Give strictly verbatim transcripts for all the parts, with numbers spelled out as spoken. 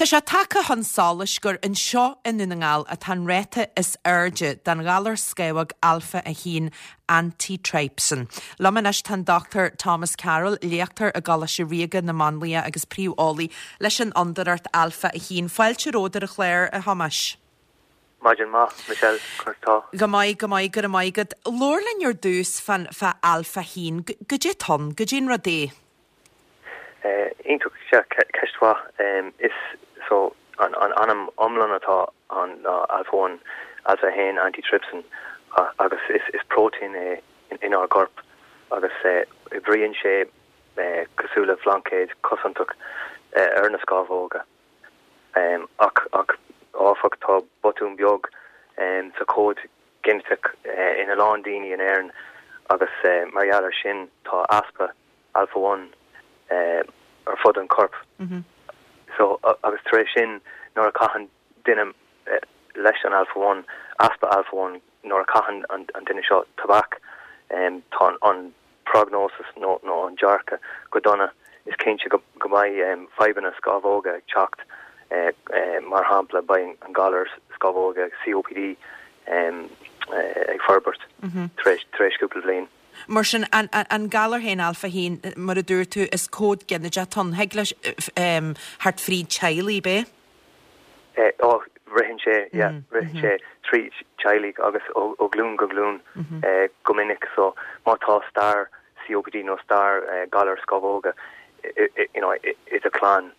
Tá sé tagtha chun solais gur anseo i nDún na nGall atá an ráta is airde den ghalar scamhóg alpha a haon antitrypsin. Liom anois tá an Dr. Thomas Carroll, léachtóir i gColáiste Ríoga na Máinlia agus príomheolaí leis an Fhondúireacht Alpha a haon. Fáilte romhat ar an chlár a Thomáis. Maidin mhaith Michelle tá. Go maith go maith go raibh maith agat. Labhair linn ar dtús fan fá alpha haon, goidé atá ann, goidé an rud é. Iontach ceist mhaith is so an an ainm iomlán atá an alpha one alpha haon antitrypsin agus is is protein é in, inár gcorp agus oibríonn sé cosúil le blaincéad cosantach ar na scamhóga. Um, ach ach áfach tá botún beag um, sa cód geiniteach uh, ina lán daoine in Éirinn agus uh, mar gheall ar sin tá easpa alpha one uh, ar fud an corp. Mm -hmm. So agus tar éis sin nuair a chaitheann duine uh, leis an alpha one easpa alpha one nuair a chaitheann an, an duine seo tobac um, tá an prognosis nó nó an dearcadh go dona is cinnte go go mbeidh um, fadhbanna scamhóga ag teacht uh, uh, mar shampla beidh an galar scamhóga COPD um, uh, ag forbairt mm -hmm. tar éis cúpla bliain. Mar sin an, an, an galar féin alpha haon mar a dúirt tú is cód geiniteach atá ann thig leis um, thart fríd teaghlaigh bé? Eh, ó ritheann sé yeah, mm, ritheann mm -hmm. sé trí teaghlaigh agus ó, ó glún go glún mm -hmm. eh, go minic so má tá stair COPD nó stair eh, galar scamhóga you know, i do chlann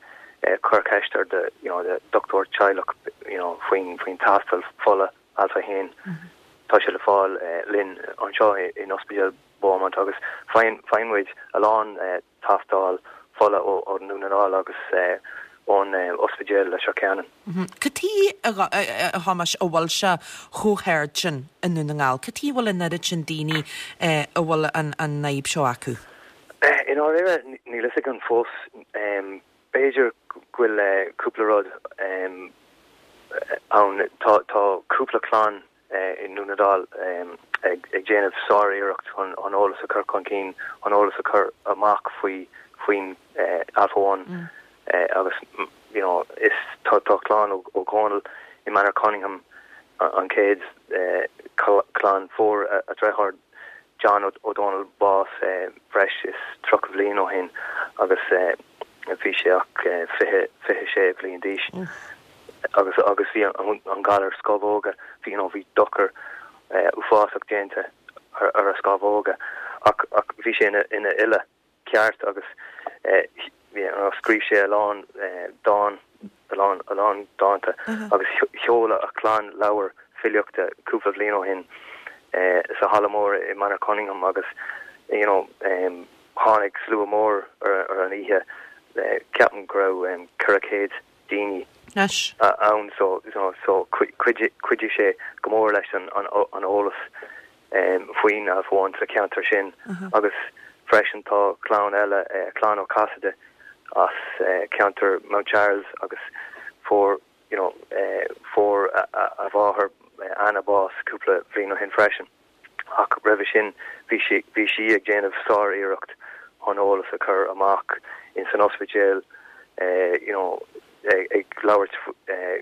eh, cuir ceist ar de you know, de dochtúir teaghlach you know, faoin faoin tástáil fola alpha haon mm -hmm. Tá sé le fáil eh, linn anseo in ospidéal Beaumont agus faigheann muid a lán eh, tástáil fola ó ó Dhún na nGall agus eh, ón eh, ospidéal Leitir Ceanainn. Cad chuige a Thomáis a bhfuil sé chomh hard sin i nDún na nGall, Cad chuige a bhfuil an oiread sin daoine a bhfuil an an fhadhb seo acu? I ndáiríre níl a fhios agam fós b'fhéidir go bhfuil cúpla rud ann tá tá cúpla clann i nDún na nGall ag ag déanamh sáriarracht chun an eolas a chur chun cinn an eolas a chur amach faoi faoin alpha one mm. agus you know is tá tá clann ó O'Connell i Manorcunningham an chéad clann fuair a deartháir John O'Donnell bás breis is tríocha bliain ó shin agus bhí sé ach fiche fiche sé bliain d'aois. agus agus bhí an, an galar scamhóga bhí you know, bhí dochar uafásach déanta ar, ar a scamhóga ach ach bhí sé ina ina fhile ceart agus eh, scríobh sé a lán eh, dán a lán a lán dánta uh -huh. agus sheol a chlann leabhar filíochta cúpla bliain ó shin eh, sa halla mór i Manorcunningham agus you know, um, tháinig slua mór ar, ar an oíche eh, ceapaim go raibh um, ceithre chéad daoine ann so you know, so chuidigh sé go mór leis an, an, an eolas um, faoin alpha one sa cheantar sin uh -huh. agus freisin tá clann eile uh, clann Ó Casaide as uh, ceantar Mount Charles agus fuair you know uh, fuair a, a, a mháthair Anna bás cúpla bliain ó shin freisin ach roimhe sin bhí sí bhí sí ag déanamh sáriarracht an eolas a chur amach in san ospidéal uh, you know ag, ag labhairt uh,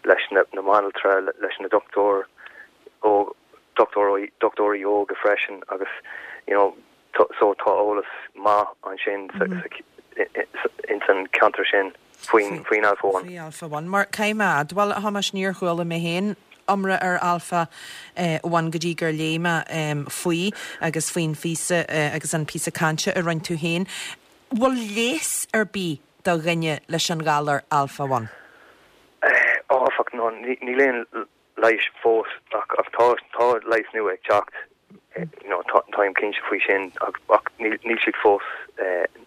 leis na, na banaltra leis na dochtúir ó dochtúir dochtúirí óga freisin agus you know so tá eolas maith ansin mm -hmm. in san ceantar sin faoin faoin alpha one. Faoi alpha one. Mar caiimad, well Thomáis níor chuala mé féin iomrá ar alpha uh, one go dtí gur léigh mé um, faoi agus faoin phíosa uh, agus an píosa cainte a rinne tú féin. Bhfuil leigheas ar bith do dhuine leis an galar alpha one? Áfach no níl aon leigheas fós ach ach tá tá leigheas nua ag teacht you know táim cinnte faoi sin ach ach níl siad fós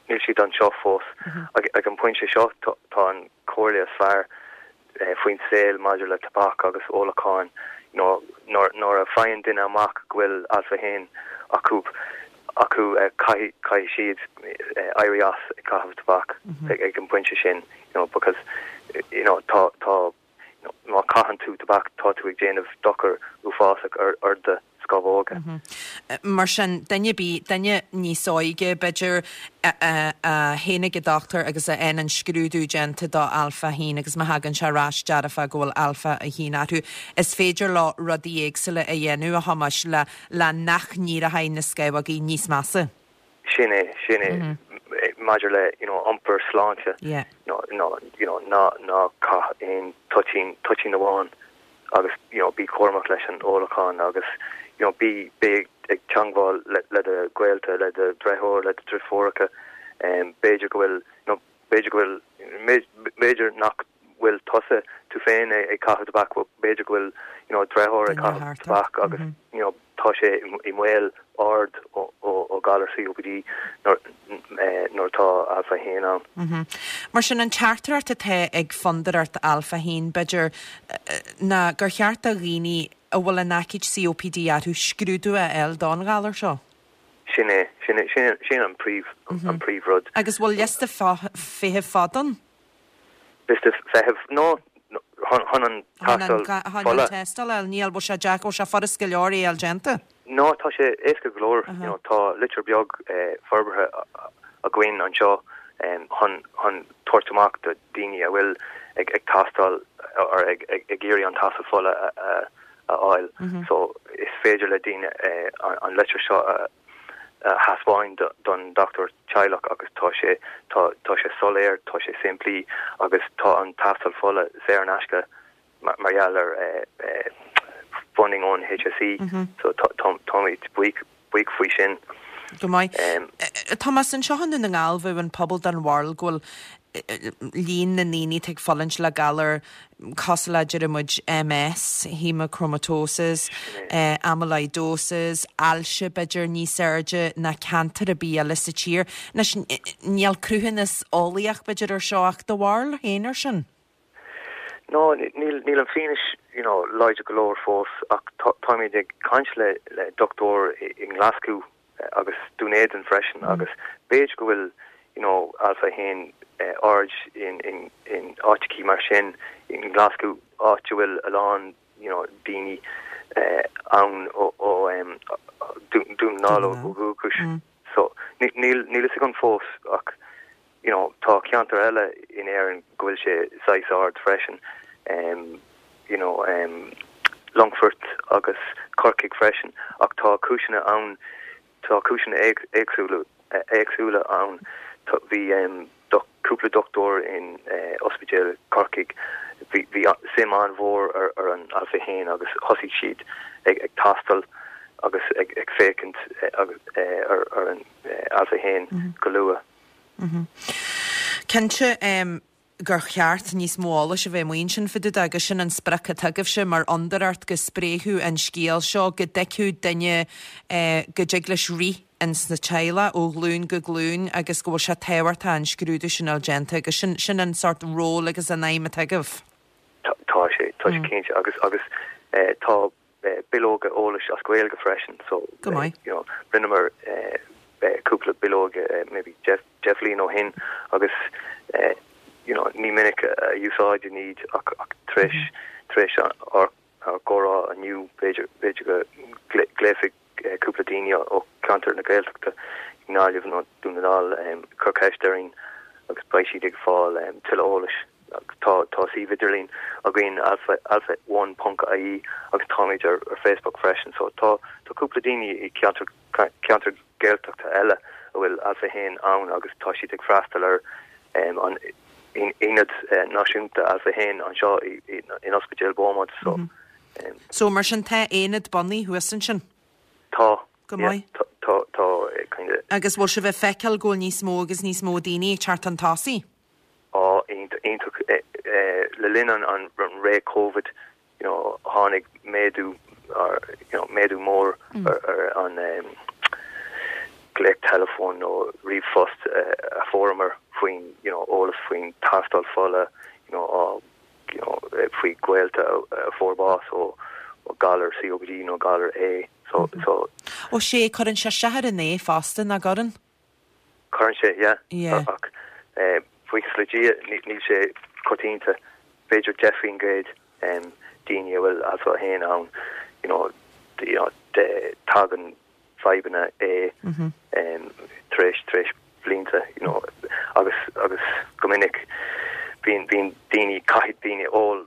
níl siad anseo fós ag ag an pointe seo tá an chomhairle is fearr faoin saol maidir le tobac agus ólachán you know nuair nuair a faigheann duine amach go bhfuil alpha haon acu acu caithfidh caithfidh siad éirí as ag caitheamh tobac ag ag an pointe sin you know because you know tá tá má chaitheann tú tobac tá tú ag déanamh dochar uafásach ar ar do scamhóga. Mar sin, duine ar bith, duine níos óige, b'fhéidir, a théann ag an dochtúir agus a fhaigheann an scrúdú déanta do alpha a haon agus má thagann sé ar ais dearfa go bhfuil alpha a haon orthu, is féidir leo rudaí éagsúla a dhéanamh, a Thomáis, le le nach n-éireoidh na scamhógaí níos measa. Sin é, sin é. Maidir le, you know, iompar sláinte, you know, ná, you know, ná, ná caith aon toitín, toitín amháin agus, you know, bí cúramach leis an ólachán agus, you know, bí, bí ag teangmháil le, le do ghaolta, le do dheartháir, le do dheirfiúracha, um, b'fhéidir go bhfuil, you know, b'fhéidir go bhfuil, b'fhéidir nach bhfuil tusa tú féin ag caitheamh tobac, b'fhéidir go bhfuil, you know, deartháir ag caitheamh tobac agus, you know, tá sé i mbaol ard ó, ó, ó galar C O P D nuair nuair atá alpha a haon ann. Mm -hmm. Mar sin an teachtaireacht atá ag Fondúireacht Alpha a haon b'fhéidir ná gur cheart do dhaoine a bhfuil an aicíd C O P D orthu scrúdú a fháil don ghalar seo. Sin é, sin é, sin, sin an príomh mm -hmm. an príomhrud. Agus bhfuil liosta feithimh fada ann? Liosta feithimh no chun an tástáil tástáil níl bhfuil sé deacair sé furast go leor é a fháil déanta. No tá sé éasca go leor you know, tá litir beag eh, forbartha againn anseo chun chun tabhairt amach do daoine a bhfuil ag ag tástáil ar ag ag ag iarraidh an tástáil fola a, a, a fháil. Mm -hmm. So is féidir le daoine eh, an, an litir seo a thaispeáint don dochtúir teaghlach agus tá sé tá tá sé soiléir, tá sé simplí agus tá an tástáil fola saor in aisce mar gheall ar eh, eh, funding ón H S E mm -hmm. so táimid buíoch buíoch faoi sin. Go maith. Um, Thomas anseo i nDún na nGall bhí an pobal den bharúil go bhfuil líon na ndaoine ag fulaingt le galar cosúil le deir muid M S, hemochromatosis, eh, amyloidosis, ailse b'fhéidir níos airde ná ceantar ar bith eile sa tír. Anois níl cruthúnas eolaíoch b'fhéidir ar seo ach do bharúil féin ar sin. No, níl níl an fianaise you know, láidir go leor fós ach táimid ag caint le le dochtúir i nGlaschú agus Dún Éideann freisin mm. agus b'fhéidir go bhfuil you know, alpha haon uh, ard in in in áiteacha mar sin in Glasgow áit bhfuil a lán you know, daoine uh, ann ó ó um, Dún na nGall ó dhúchas mm. so níl níl an fós ach you know, tá ceantar eile in Éirinn go bhfuil sé saghas ard freisin um, you know, um, Longfort agus Corcaigh freisin ach tá cúiseanna ann tá cúiseanna éagsúla éagsúla ann bhí um, cúpla dochtúir in uh, ospidéal Corcaigh bhí bhí suim an-mhór ar, ar an alpha haon agus thosaigh siad ag ag tástáil agus ag ag féachaint agus uh, ar, ar an uh, alpha haon mm -hmm. go luath. Mm -hmm. Cinnte um, gur cheart níos mó eolais a bheith amuigh ansin fá dtaobh agus sin an sprioc atá agaibhse mar fhondúireacht go spréifí an scéal seo go dtuigfeadh duine eh, go dtig leis rith ins na teaghlaigh ó ghlúin go glúin agus go bhfuil sé tábhachtach an scrúdú sin a dhéanamh agus sin sin an sort ról agus an aidhm atá agaibh. Tá sé tá sé mm. cinnte agus agus eh, tá eh, bileoga eolais as Gaeilge freisin so Go maith. you know rinneamar eh, eh, cúpla bileoga eh, maybe deich deich mbliana ó shin agus eh, you know ní minic a úsáidim iad ach ach tar éis tar éis ár ár gcomhrá inniu b'fhéidir b'fhéidir go nglaofaidh cúpla daoine ó cheantar na Gaeltachta i nGaillimh nó Dún na nGall um, cur ceist orainn agus beidh siad ag fáil um, tuilleadh eolais tá tá suíomh idirlín againn alpha alpha one ponc I E agus táimid ar, ar Facebook freisin so tá tá cúpla daoine i ceantar ceantar Gaeltachta eile a bhfuil alpha haon ann agus tá siad ag freastal ar um, an aonad uh, náisiúnta alpha haon anseo in Ospidéal Beaumont so mm -hmm. um, So mar sin tá aonad bunaithe thuas ansin? Tá Go maith. tá tá kind of Agus bhfuil sibh ag feiceáil go bhfuil níos mó agus níos mó daoine ag teacht chun tosaigh? Á iontach le linn an an ré COVID you know tháinig méadú ar you know méadú mór mm. ar, ar an um, glaoch telefón nó ríomhphost uh, a fuaireamar faoin you know eolas faoin tástáil fola you know á you know faoi ghaolta a fuair bás ó ó galar C O P D nó galar A so mm -hmm. so Ó sé cuireann sé isteach ar an é fosta nach gcuireann? Cuireann sé yeah yeah. ach eh buíochas le Dia níl sé coitianta b'fhéidir deich faoin gcéad um, daoine a bhfuil alpha haon ann you know you know de tagann fadhbanna é um, tar éis tar éis blianta you know, agus agus go minic bíonn bíonn daoine caithfidh daoine ól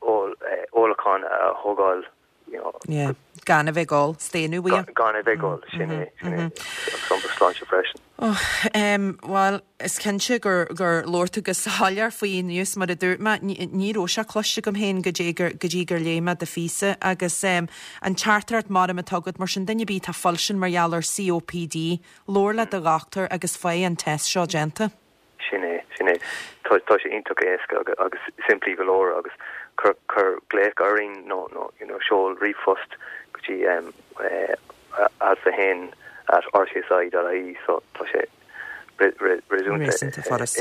ól eh, ólachán a thógáil you know, Yeah. Gan a bheith ag ól, staonadh uaidh. gan a bheith ag ól sin é sin é agus sláinte freisin. Oh, um, Well, is cinnte gur gur labhair tú go soiléir faoi inniu mar a dúirt mé ní raibh sé cloiste agam féin go dtí gur go dtí gur léigh mé do phíosa agus um, an teachtaireacht mar atá agat mar sin duine ar bith atá fuilsin mar gheall ar COPD, labhair le do dhochtúir agus faigh an test seo déanta. Sin é sin é tá tá sé iontach éasca agus, agus simplí go leor agus cur cur glaoch orainn nó nó you know, seol ríomhphost go dtí um, uh, alpha haon at rcsi.ie so tá sé Réasúnta furast.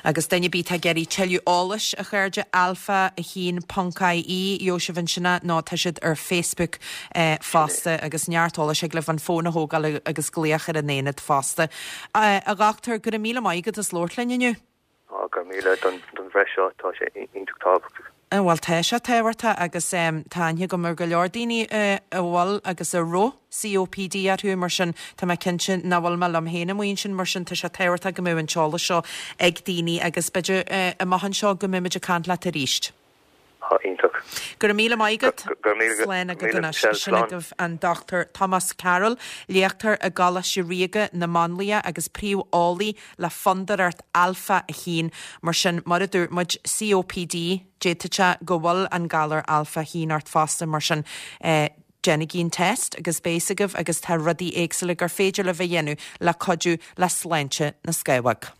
Agus duine ar bith ag iarraidh tuilleadh eolais a chairde alpha a haon ponc ie Joseph sinna nó tá siad ar Facebook eh, fosta agus neart eolais ag libh an fón a thógáil agus glaoch ar an aonad fosta. Uh, a dhochtúir go raibh míle maith agat as labhairt linn inniu? Go míle don don bhreis seo tá sé iontach tábhachtach. Bhuel tá sé tábhachtach agus um, tá go mar go leor daoine uh, a bhfuil agus a raibh COPD orthu mar sin tá mé cinnte nach bhfuil mé liom féin amuigh sin mar sin tá sé tábhachtach go mbeadh an t-eolas seo ag daoine agus b'fhéidir uh, amach anseo go mbeimid ag caint leat arís. iontach. Gur míle maiigad Sléna go sin agaibh an Dr. Thomas Carroll, léachtóir i gColáiste Ríoga na Máinlia agus príomheolaí le Fondúireacht Alpha a haon mar sin mar a dúirt muid COPD d'fhéadfadh go bhfuil an galar alpha haon ort fosta mar sin eh, Déanaigí an test agus beidh a fhios agaibh agus tá rudaí éagsúla gur féidir libh a dhéanamh le cuidiú le sláinte na scamhóg.